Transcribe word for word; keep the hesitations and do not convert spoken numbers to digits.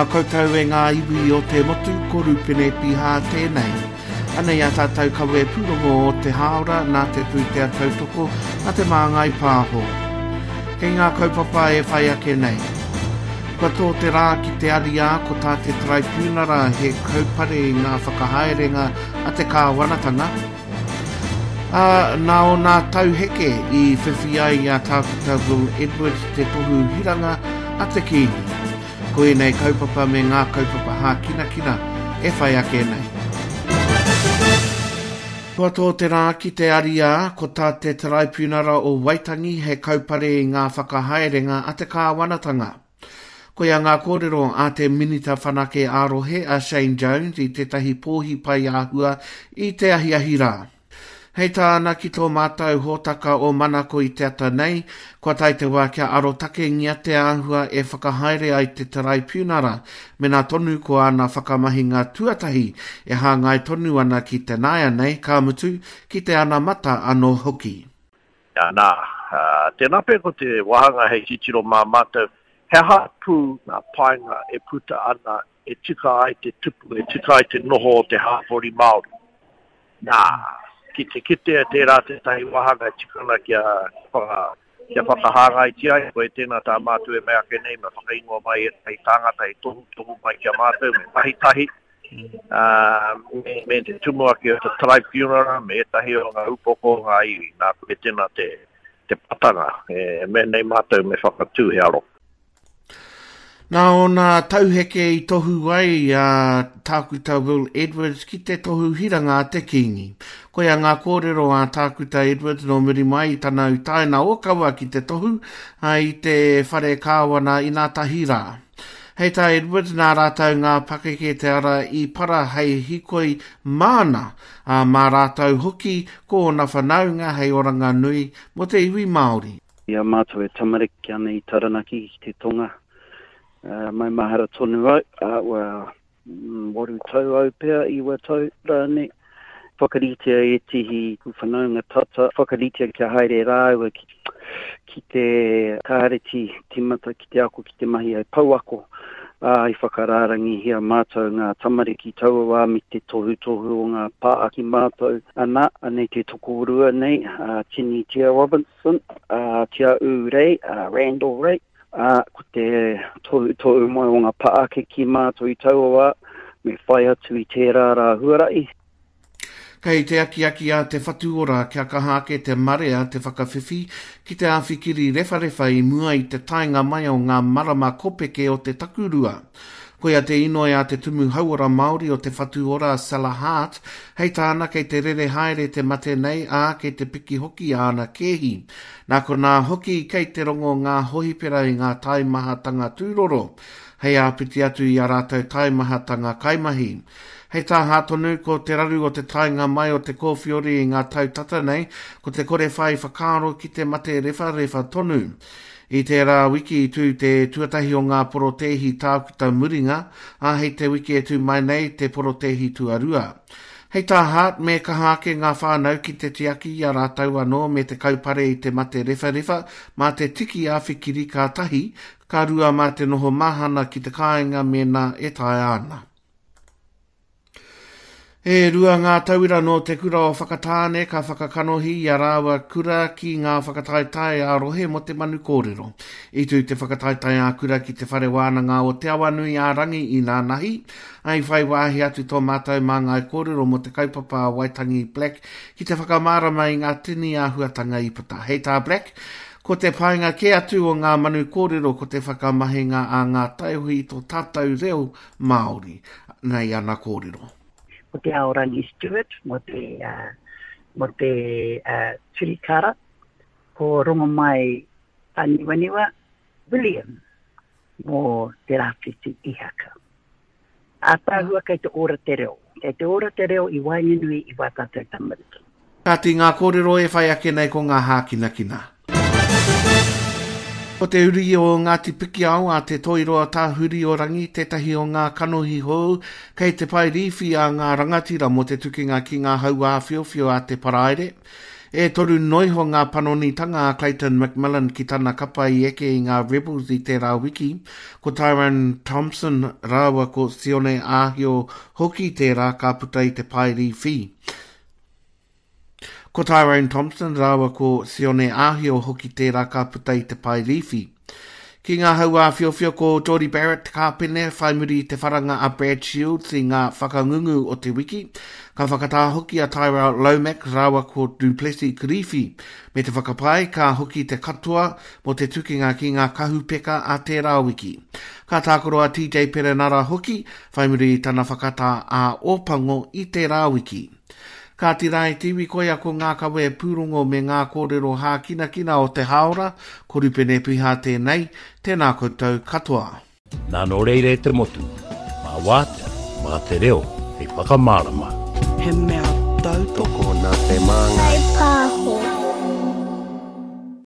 Tēnā koutou e ngā iwi o te motu, ko Rupene Piha tēnei. Anei a tātou kawe pūrongo o te hāora nā te pūtea tautoko a te Māngai Pāho. Kei ngā kaupapa e whai ake nei. Kua tō te rā ki te ariā ko tā te Taraipiunara he kaupare i ngā whakahaerenga a te kāwanatanga. Ā, nā ōna tauheke i whiwhi ai a Tākuta Will Edwards te tohu hiranga a te Kīngi. Ko ēnei kaupapa me ngā kaupapa hākinakina e whai ake nei. Kua tō te rā ki te ariā, ko tā te Taraipiunara o Waitangi he kaupare i ngā whakahaerenga a te kāwanatanga. Koia ngā kōrero a te Minita Whanake ā-rohe a Shane Jones i tētahi pōhi pai āhua i te ahiahi rā. Hei tāna ki tō mātou hōtaka o Manako i te ata nei, kua tae te wā kia arotakengia te āhua e whakahaere ai te Taraipiunara, mena tonu ko āna whakamahinga tuatahi e hāngai tonu ana ki te nāianei, ka mutu, ki te anamata anō hoki. Nā, tēnā pea ko te wāhanga hei titiro mā mātou, he aha pū ngā painga e puta ana e tika ai te tupu, e tika ai te noho o te hāpori Māori. Nā, ki te kitea tērā tētahi wāhanga e tika ana kia, whaka, kia whakahāngaitia ai, koe tēnā tā mātou e mea ake nei, me whakaingoa mai ētahi tāngata e tohutohu mai ki a mātou, me mahi tahi, uh, me, me te tumuaki o te Taraipiunara, me ētahi o ngā upoko o ngā iwi. Nā, koe tēnā te, te patanga, e mea nei mātou me whakatū he aro. Nā ōna tauheke i tohu ai a Tākuta Will Edwards ki te tohu hiranga a te Kīngi. Koia ngā kōrero a Tākuta Edwards nō muri mai i tana utaina ōkawa ki te tohu i te whare kāwana inātahi rā. Hei tā Edwards, nā rātou ngā pakeke te ara i para hei hikoi māna, ā, mā rātou hoki ko ōna whanaunga hei oranga nui mō te iwi Māori. I a mātou e tamariki ana i Taranaki ki te tonga, Uh, maumahara tonu au, uh, well, waru tau au pea, iwa tau rānei. Whakaritea ētehi whanaunga tata, whakaritea kia haere rāua ki, ki te kāreti timata, ki te ako, ki te mahi ai pouako. Uh, i whakarārangihia mātou ngā tamariki taua wā me te tohutohu o ngā pāaki mātou. Ana, anei te tokorua nei, uh, Tini Tia Robinson, uh, Tia U Rei, uh, Randall Rei. Uh, ko te tohutohu mai o ngā pāake ki mātou i taua wā, me whai atu i tērā rā huarahi. Kei te akiaki a Te Whatu Ora kia kaha ake te marea te whakawhiwhi ki te āwhikiri rewharewha i mua i te taenga mai o ngā marama kopeke o te takurua. Koia te inoi a te Tumu Hauora Māori o Te Whatu Ora Sela Hart, hei tāna kei te rere haere te mate nei, ā, kei te piki hoki āna kēhi. Nā konā hoki kei te rongo ngā hohipera i ngā taimahatanga tūroro, hei āpiti atu i a rātou taimahatanga kaimahi. Hei tā Hart tonu, ko te raru o te taenga mai o te kōwhiori i ngā tau tata nei, ko te kore whai whakaaro ki te mate rewharewha tonu. I tērā wiki i tū te tuatahi o ngā porotēhi tākuta muringa, ā, hei te wiki e tū mai nei te porotēhi tuarua. Hei tā Hart, me kaha ake ngā whānau ki te tiaki i a rātou anō me te kaupare i te mate rewharewha mā te tiki āwhikiri ka tahi, ka rua mā te noho mahana ki te kāinga mēnā e taea ana. E rua ngā tauira nō te kura o Whakatāne ka whakakanohi i a rāua kura ki ngā whakataetae ā-rohe mō te manu kōrero. I tū te whakataetae ā-kura ki te whare wānanga o Te Awanui ā-Rangi i nānahi, ā, i whai wāhi atu tō mātou māngai kōrero mō te kaupapa a Waitangi Black ki te whakamārama i ngā tini āhuatanga i puta. Hei tā Black, ko te painga kē atu o ngā manu kōrero ko te whakamahinga a ngā taiohi i tō tātou reo Māori. Nei ana kōrero. Ko te Aorangi Stewart mo te, uh, mo te uh, Turikara, ko Rongomai Aniwaniwa William mo te Rāwhiti Ihaka. Ātaahua kei te ora te reo. Kei te ora te reo i waenganui i wā tātou tamariki. Kāti ngā kōrero e whai ake nei ko ngā hākinakina. Ko te uri o Ngāti Pikiao a Te Toiroa Tāhuri o Rangi tētahi o ngā kanohi hou kei te pae rīwhi a ngā rangatira mō te tukinga ki ngā hauāwhiowhio a te paraire. E toru noiho ngā panonitanga a Clayton McMillan ki tana kapa i eke i ngā Rebels i tērā wiki. Ko Tyrone Thompson rāua ko Sione Ahio hoki tērā ka puta i te pae rīwhi. Ko Tyrone Thompson rāua ko Sione Ahio hoki tērā ka puta i te pae rīwhi. Ki ngā hau āwhiowhio ko Jordie Barrett te kāpene whai muri i te wharanga a Brad Shields i ngā whakangungu o te wiki. Ka whakatā hoki a Tyrell Lomax rāua ko Du Plessis Kirifi. Me te whakapae ka hoki te katoa mō te tukinga ki ngā kahupeka a tērā wiki. Ka tākaro a T J Perenara hoki whai muri i tana whakatā a Ōpango i tērā wiki. Ka tira e te iwi koia ko ngā kawe pūrongo me ngā kōrero hākinakina o te haora, ko Rupene Piha tēnei, tēnā koutou katoa. Nā nō reira e te motu, mā wātea, mā te reo, hei whakamārama. He mea tautoko nā te māngai. Hei pāho.